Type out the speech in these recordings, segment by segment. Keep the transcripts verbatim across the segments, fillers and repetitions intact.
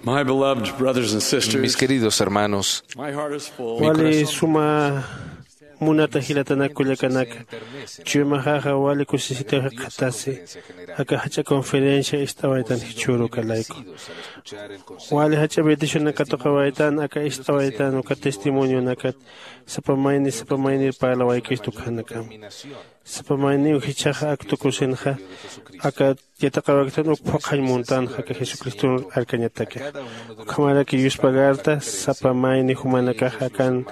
My beloved brothers and sisters, mis queridos hermanos, mi wali corazón suma munata jilatanak kullakanaka, chuymaxaxa wali kusisitaw jikxatasi aka jach'a conferencia ist'awaytan jichhüru uka layku. Wali jach'a bendicionakat katuqawaytan aka ist'awaytan uka testimonionakat sapa mayni sapa maynir parlawaykistu ukhanakam. Sapa mayniw jichhaxa ak tukusinxa aka yatiqawaykitan uk phuqhañ muntanxa aka jesucriston arkañatakixa. Ukhamaraki yuspagarta sapa mayni jumanakax akan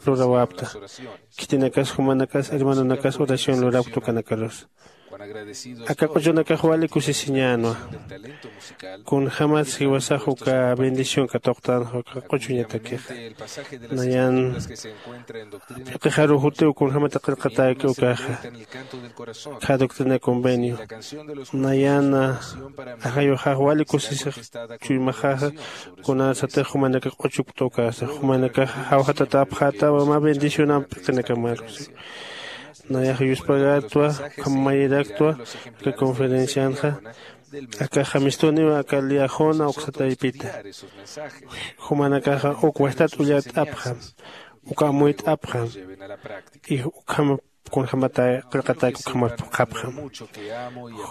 lurawapta. Khitinakas jumanakas hermanonakas oración lurapkta ukanakarus. Aka q'uchunakax wali kusisiñänwa. Kunjämas jiwasax uka bendición katuqtanxa uka q'uchuñatakixa. Nayan p'iqixaru jutiw kunjämata qillqatäki ukaxa. Kha doctrina convenio nayan ajayuxax wali kusisix chuymaxaxa. Kunarsatix jumanakax q'uchukpta ukasa jumanakax jawjatatapxätawa mä bendicionamp p'iqinakamarusi. Nayax yuspagartwa ukham mayiraktwa aka conferencianxa. Aka jamistuniw aka liajona uksa taypita. Jumanakaxa uk wajtat ullart'apxam uk amuyt'apxam. Y ukham kunjämata qillqatäki ukhamar phuqhapxam.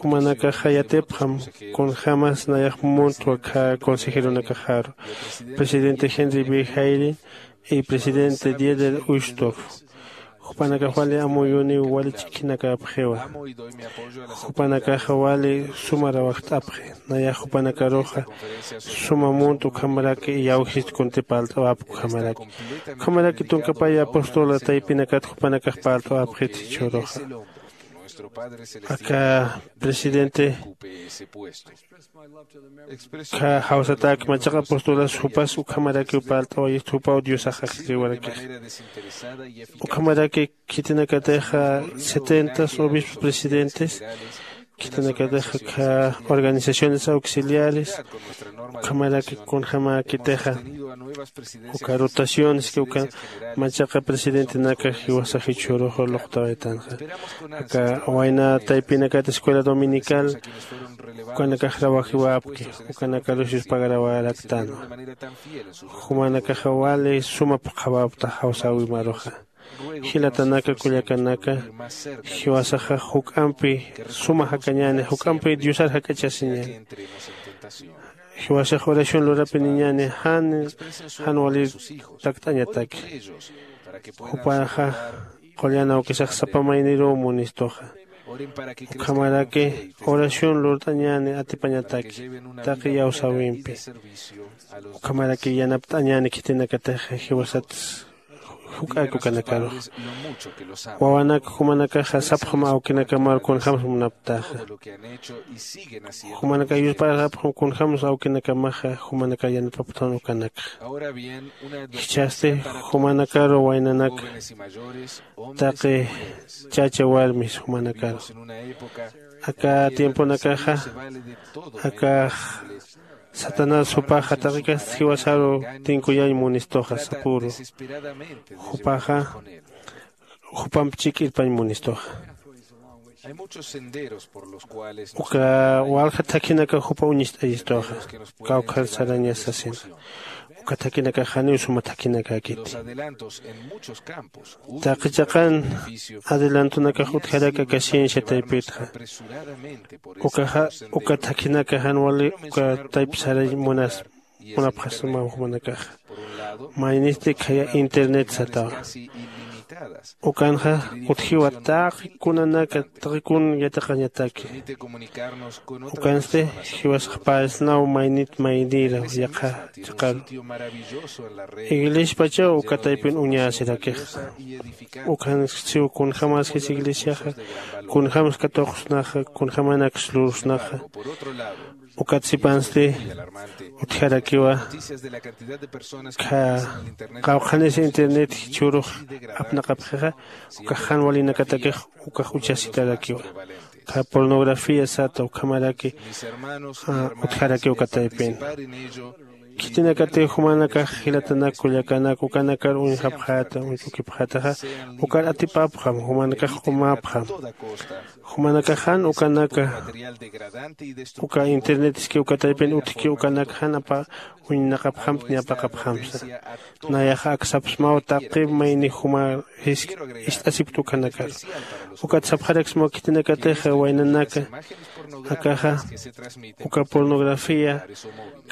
Jumanakaxa yatipxam kunjämas nayax muntwa kha consejeronakaxaru, presidente Henry B Hayden y presidente Dieter Uchtdorf. Jupanakax wali amuyuniw wali ch'ikhinakapxiwa. Jupanakaxa wali sumarawakt'apxi. Nayax jupanakaruxa suma munt ukhamaraki iyawjist kunti parlt'awapki ukhamaraki. Ukhamaraki tunkapay apostola taypinakat jupanakax parlt'awapxit jichhüruxa. Aka presidente kha jawsatäk machaqa apostolas jupas ukhamarakiw parlt'awayist jupaw diosax ajiriwarakix. Ukhamaraki khitinakatixa setentas obispos presidentes khitinakatixa kha organizaciones auxiliares ukhamaraki kunjämäkitixa uka rotaciones que uka machaqa presidentenaka jiwasax jichhüruxa luqtawaytanxa. Aka wayna taypinakat escuela dominical ukanakax rawajiwapki. Ukanakarus yuspagarawaraktanwa. Jumanakaxa wali suma phuqhawapta jawsäwimaruxa. Jilatanaka kullakanaka jiwasaxa juk'ampi suma jakañäni juk'ampi diosar jak'achasiñäni. Jiwasax oración lurapiniñäni jan jan walir takt'añataki. Jupaxa qullan awkisax sapa mayniruw munistuxa. Ukhamaraki oración lurt'añäni atipañataki taqi iyawsäwimpi. Ukhamaraki yanapt'añäni khitinakatixa jiwasat juk'ak ukanakarux. Wawanak jumanakaxa sapxam awkinakamar kunjämsa munapktaxa. Jumanakax yusparxapxam kunjämsa awkinakamaxa jumanakax yanapapxtan ukanakxa. Jichhasti jumanakaru waynanaka taqi chacha warmis jumanakaru aka tiemponakaxa akax satanás jupaxa taqikasti jiwasaru tinkuyañ munistuxa sapüru. Jupaxa jupamp chik'irpañ munistuxa. Uka walja thakhinakax jupa uñist'ayistuxa kawkhar sarañas sasinxa. Uka thakhinakax janiw suma thakhinakäkiti. Taqi chaqan adelantonakax utjaraki aka ciencia taypitxa. Ukaxa uka thakhinaka jan wali uka tayp sarañ munas munapxasmaw jumanakaxa. Maynisti khaya internet satawa. Ukanxa utjiwa taqi kunanaka taqi kun yatiqañataki. Ukansti jiwasax paysnaw maynit maynïra yaqha chiqaru. Iglespachaw uka taypin uñäsirakixa. Ukhansiw kunjämaskis iglesiaxa kunjämsa katuqsnaxa kunjämanaksa lursnaxa. Ukat sipansti utjarakiwa. Kha qawqhanis internet jichhürux apnaqapxixa ukax jan walinakatakix ukax uchasitarakiwa. Kha pornografía sata ukhamaraki utjarakiw uka taypin. Khitinakatiw jumanakax jilatanak kullakanak ukanakar uñjapxäta uñch'ukipxätaxa, ukar atipapxam, jumanakax q'umapxam. Jumanakaxan ukanaka uka internet iski uka taypin utjki ukanak jan apa uñnaqapxamti ñapaqapxamsa. Nayaxa aksapsmaw taqip mayni juma ist'asipkta ukanakar. Ukat sapxaraksmaw khitinakatixa waynanaka akaxa uka pornografía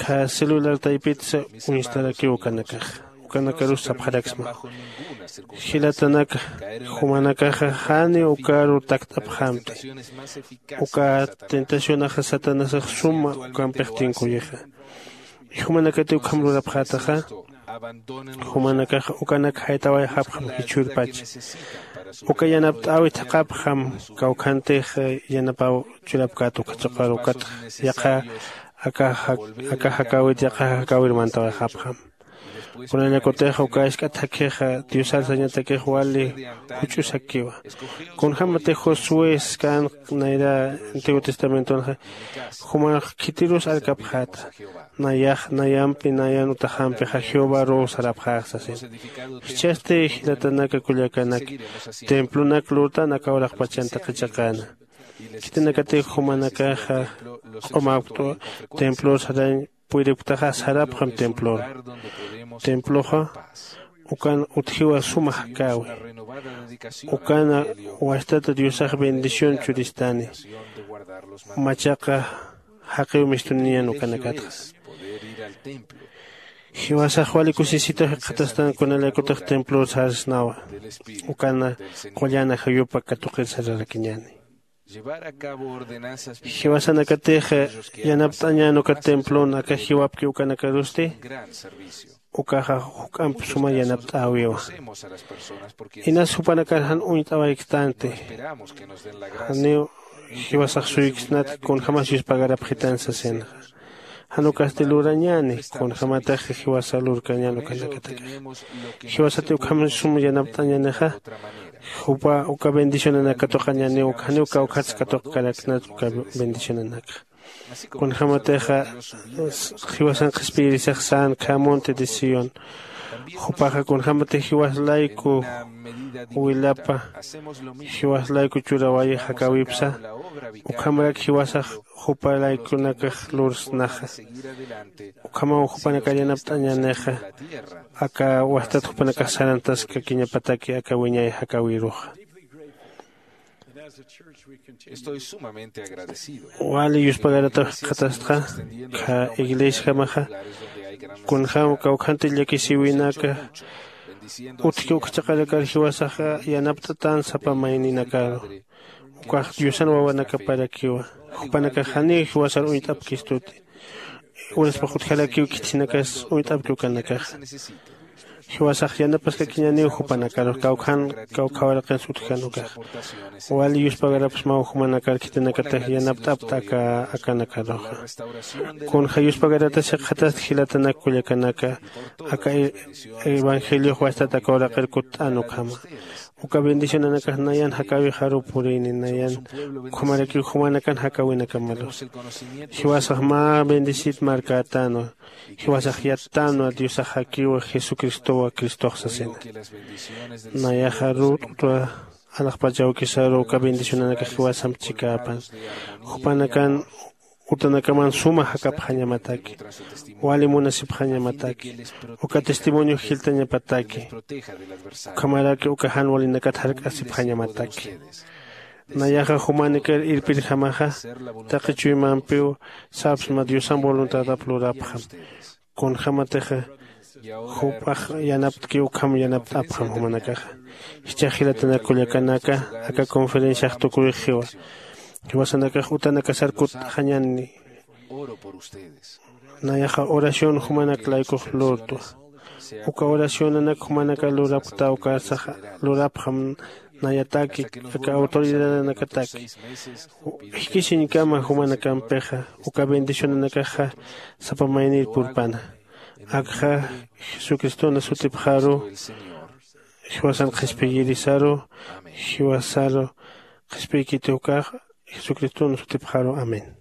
kha celular taypitsa uñstarakiw ukanakaxa. Ukanakarus sapxaraksma, jilatanaka, jumanakaxa janiw ukaru takt'apxamti. Uka tentacionaxa satanasax suma ukampix tinkuyixa. Jumanakatiw ukham lurapxätaxa, jumanakaxa ukanak jaytawayxapxam jichhürpacha. Uka yanapt'äwi thaqhapxam, kawkhantix yanapaw churapkät ukhachuqar ukatx yaqha aka jakäwit yaqha jakäwir mantawayxapxam. Kunallakutix uka isk'a thakhixa diosar sañatakix wali juch'usakiwa. Kunjämatix josué skan nayra antiguo testamentonxa, jumax khitirus arkapxäta, nayax nayampi nayan utaxampixa jehovaruw sarapxäx sasin. Jichhasti jilatanaka kullakanaka, templonak lurtan aka uraqpachan taqi chiqäna. Khitinakatix jumanakaxa q'umapktwa, templor sarañ puyripktaxa sarapxam templor. Temploxa ukan utjiwa suma jakäwi. Ukana wastata diosax bendición churistani. Machaqa jaqiw mistuniñan ukanakatxa. Jiwasax wali kusisitaw jikxatastan kunalaykutix templor sarsnawa. Ukana qullana jayupa katuqir sararakiñani. Jiwasanakatix yanapt'añän uka templon aka jiwapki ukanakarusti, ukaxa juk'amp suma yanapt'äwiwa. Inas jupanakar jan uñt'awayktanti, janiw jiwasax suyksnat kunjämas yuspagarapxitan sasinxa. Jan ukasti lurañäni kunjämatix jiwasa lurkañän ukanakataki. Jiwasati ukham sum yanapt'añänixa, jupa uka bendicionanak katuqañäniw, janiw kawkhats katuqkaraknat uka bendicionanakxa. Kunjämatixa jiwasan qhispiyirisax sän khä monte de sión. Jupaxa kunjämatix jiwas layku wilapa, jiwas layku churawayix jakäwipsa, ukhamarak jiwasax jupa laykunakax lursnaxa. Ukhamaw jupanakar yanapt'añänixa, aka wastat jupanakax sarantaskakiñapataki aka wiñay jakäwiruxa. Wali yuspagarataw jikxatastxa, khä iglesiajamaxa kunjäm kawkhantix llakisïwinaka utjki ukha chiqarakar jiwasaxa yanapt'atän sapa mayninakaru. Ukax diosan wawanakaparakiwa. Jupanakax janiw jiwasar uñt'apkistuti. Uraspax utjarakiw khitinakas uñt'apki ukanakaxa. Jiwasax yanapaskakiñäniw jupanakarux kawkhan kawkha waraqinsa utjkän ukaxa. Wali yuspagarapxsmaw jumanakar khitinakatix yanapt'apta aka akanakaruxa. Kunja yuspagaratas jikxatasti jilatanak kullakanaka, aka evangeliox wastat aka uraqir kutt'an ukhama. Uka bendicionanakax nayan jakäwixaruw purïni, nayan ukhamarakiw jumanakan jakäwinakamarus. Jiwasax mä bendisit markätänwa. Jiwasax yattänwa diosax jakiwa jesucristowa cristox sasina. Nayaxa rut'utwa alaxpach awkisaru uka bendicionanakax jiwasamp chikäpan. Jupanakan utanakaman suma jakapxañamataki, wali munasipxañamataki, uka testimonio jilltañapataki, ukhamaraki uka jan walinakat jark'asipxañamataki. Nayaxa jumanikir irpirjamaxa, taqi chuymampiw sapsma diosan voluntadap lurapxam. Kunjämatixa jupax yanaptki ukham yanapt'apxam jumanakaxa. Jichhax jilatanak kullakanaka, aka conferenciax tukuyxiwa. Jiwasanakax utanakasar kutt'axañäni. Nayaxa oración jumanak laykux lurtwa. Uka oracionanak jumanakar lurapkta ukarsax lurapxam. Nayataki aka autoridadanakataki jikisiñkama jumanakampixa uka bendicionanakaxa sapa maynir purpana. Akxa jesucristona sutipxaru jiwasan qhispiyirisaru jiwasaru qhispiykiti ukax jesucristona sutipxaru. Amén.